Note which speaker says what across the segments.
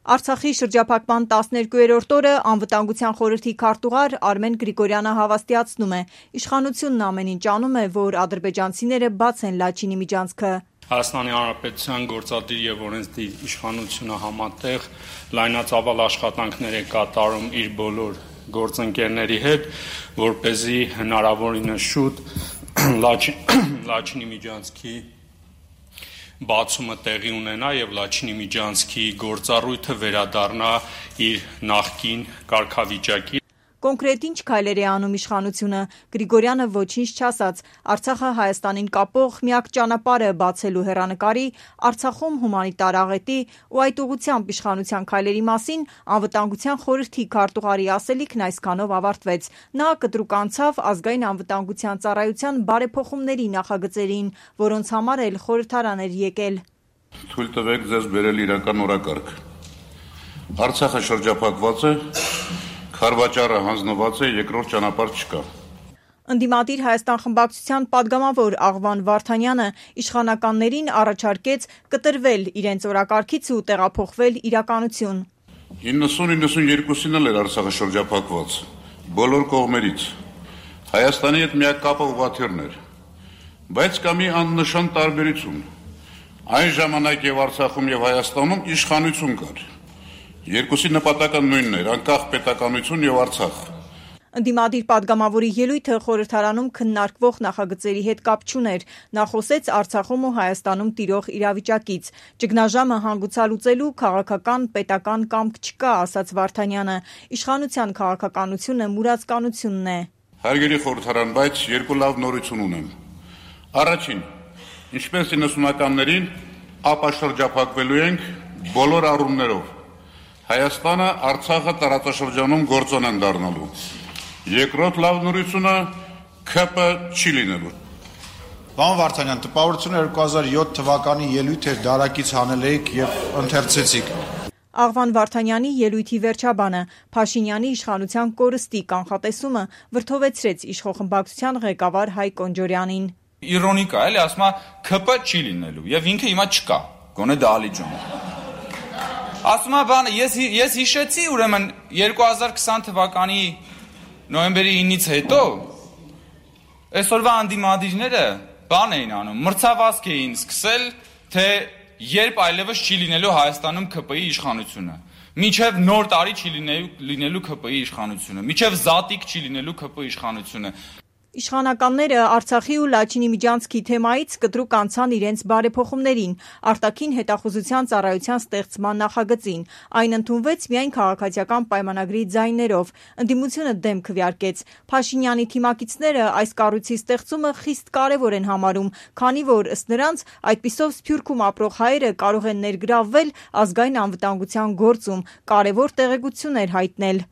Speaker 1: Արցախի շրջափակման 12-րդ օրը անվտանգության խորհրդի քարտուղար Արմեն Գրիգորյանը հավաստիացնում է. իշխանությունն ամեն ինչ անում է, որ ադրբեջանցիները բաց են Լաչինի միջանցքը։
Speaker 2: Հայաստանի Հանրապետության գործադիր եւ օրենսդիր իշխանությունը համատեղ լայնածավալ աշխատանքներ է կատարում իր բոլոր գործընկերների հետ, որպեսզի հնարավորինս շուտ Լաչինի միջանցքի բացումը տեղի ունենա եւ Լաչինի միջանցքի գործառույթը վերադառնա իր նախկին կարգավիճակի։
Speaker 1: Կոնկրետ ինչ քայլեր է անում իշխանությունը։ Գրիգորյանը ոչինչ չասաց։ Արցախը Հայաստանին կապող միակ ճանապարհը բացելու հեռանկարի, Արցախում հումանիտար աղետի ու այդ ուղղությամբ իշխանության քայլերի մասին անվտանգության խորհրդի քարտուղարի ասելիքն այսքանով ավարտվեց։ Նա կտրուկ անցավ ազգային անվտանգության ծառայության բարեփոխումների նախագծերին, որոնց համար էլ խորհրդարան էր եկել։
Speaker 3: Թույլ տվեք ձեզ բերել իրական օրակարգ։ Արցախը շրջափակված է, Խարվաճարը հանձնված է, երկրորդ ճանապարհ չկա։
Speaker 1: Ընդդիմադիր Հայաստան խմբակցության падգամավոր Աղվան Վարդանյանը իշխանականներին առաջարկեց կտրվել իրենց օրակարգից ու տեղափոխվել իրականություն։
Speaker 3: 90-92-ին էլ էր Արցախը շրջափակված, բոլոր կողմերից։ Հայաստանի հետ միակ կապը ուղղաթիռն էր, բայց կա մի աննշան տարբերություն։ Այն ժամանակ եւ Արցախում եւ Հայաստանում իշխանություն կար։ Երկուսի նպատակը նույնն էր՝ անկախ պետականություն եւ Արցախ։
Speaker 1: Ընդդիմադիր падգամավորի ելույթը խորհրդարանում քննարկվող նախագծերի հետ կապ չուներ։ Նա խոսեց Արցախում ու Հայաստանում տիրող իրավիճակից։ Ճգնաժամը հանգուցալուծելու քաղաքական, պետական կամք չկա, ասաց Վարդանյանը։ Իշխանության քաղաքականությունը մուրացկանությունն է։
Speaker 3: Հարգելի խորհրդարան, բայց երկու լավ նորություն ունեմ։ Առաջին, ինչպես 90-ականներին, ապա շրջափակվելու ենք բոլոր առումներով։ Հայաստանը Արցախը տարածաշրջանում գործոն են դառնալու։ Երկրորդ լավ նորությունը ՔՊ չի լինելու։
Speaker 4: Պարոն Վարդանյան, տպավորությունը 2007 թվականի ելույթ էր, դարակից հանել եք եւ ընթերցեցիք։
Speaker 1: Աղվան Վարդանյանի ելույթի վերջաբանը Փաշինյանի իշխանության կորստի կանխատեսումը վրդովեցրեց իշխողմբակցության ղեկավար Հայկ Օնջորյանին։
Speaker 5: Իրոնիկա էլի, ասում է ՔՊ չի լինելու եւ ինքը հիմա չկա։ Գոնե Դալիջան։ Ասում է բանը, ես հիշեցի ուրեմն 2020 թվականի նոյեմբերի 9-ից հետո այսօրվա անդիմադիրները բան էին անում, մրցավազք էին սկսել, թե երբ այլևս չի լինելու Հայաստանում ՔՊ-ի իշխանությունը, մինչև նոր տարի չի լինելու ՔՊ-ի իշխանությունը, մինչև զատիկ չի լինելու ՔՊ-ի իշխանությունը։
Speaker 1: Իշխանականները Արցախի ու Լաչինի միջանցքի թեմայից կտրուկ անցան իրենց բարեփոխումներին, արտաքին հետախուզության ծառայության ստեղծման նախագծին։ Այն ընդունվեց միայն քաղաքացիական պայմանագրի ձայներով։ Ընդդիմությունը դեմ քվեարկեց։ Փաշինյանի թիմակիցները այս կառույցի ստեղծումը խիստ կարևոր են համարում, քանի որ ըստ նրանց այդպիսով Սփյուռքում ապրող հայերը կարող են ներգրավվել ազգային անվտանգության գործում, կարևոր տեղեկություններ հայտնել։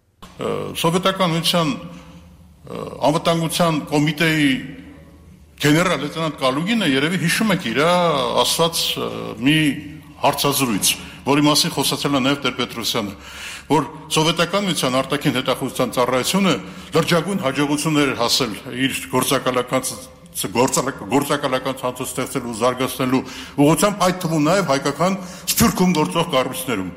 Speaker 3: Սովետական անվտանգության կոմիտեի գեներալ լեյտենանտ Կալուգինը երևի հիշում եք իր ասված մի հարցազրույց, որի մասին խոսացել է նաև Տեր-Պետրոսյանը, որ սովետական միության արտաքին հետախուզության ծառայությունը լրջագույն հաջողություններ էր հասել իր գործակալական ցանցը ստեղծելու ու զարգացնելու ուղղությամբ, այդ թվում նաև հայկական Սփյուռքում գործող կառույցներում։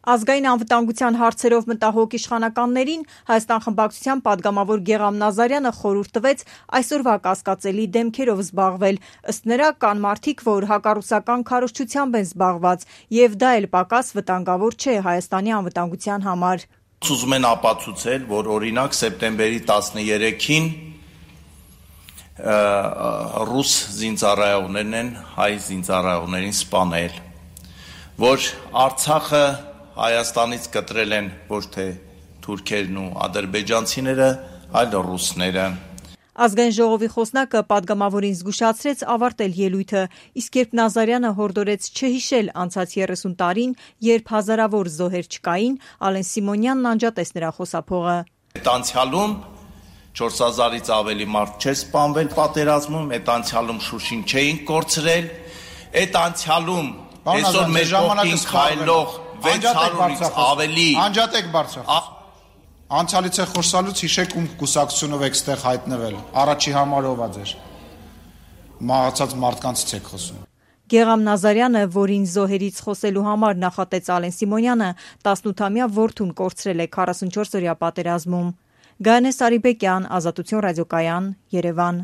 Speaker 1: Ազգային անվտանգության հարցերով մտահոգ իշխանականներին Հայաստան խմբակցության падգամավոր Գեղամ Նազարյանը խորհուրդ տվեց այսօրվա կասկածելի դեմքերով զբաղվել։ Ըստ նրա կան մարդիկ, որ հակառուսական քարոզչությամբ են զբաղված, եւ դա էլ պակաս վտանգավոր չէ Հայաստանի անվտանգության համար։
Speaker 6: Ուզում են ապացուցել, որ օրինակ սեպտեմբերի 13-ին ռուս զինծառայողներն են հայ զինծառայողներին սպանել, որ Արցախը Հայաստանից կտրել են ոչ թե թուրքերն ու ադրբեջանցիները, այլ ռուսները։
Speaker 1: Ազգային ժողովի խոսնակը падգամավորին զգուշացրեց ավարտել ելույթը, իսկ երբ Նազարյանը հորդորեց չհիշել անցած 30 տարին, երբ հազարավոր զոհեր չկային, Ալեն Սիմոնյանն անջատեց նրա խոսափողը։
Speaker 6: Այդ անցյալում 4000-ից ավելի մարդ չէր սպանվել պատերազմում, այդ անցյալում Շուշին չէին կորցրել, այդ անցյալում այսօր մեր կողքին քայլող 600-ից ավելի
Speaker 4: անջատեք բարձր։ Անցյալից է խոսալուց հիշեք ում կուսակցությունով եք ստեղ հայտնվել։ Առաջի համար ով է ձեր։ Մահացած մարդկանցից եք խոսում։
Speaker 1: Գեղամ Նազարյանը, որին զոհերից խոսելու համար նախատեց Ալեն Սիմոնյանը, 18-ամյա որդուն կորցրել է 44-օրյա պատերազմում։ Գայանե Սարիբեկյան, Ազատություն ռադիոկայան, Երևան։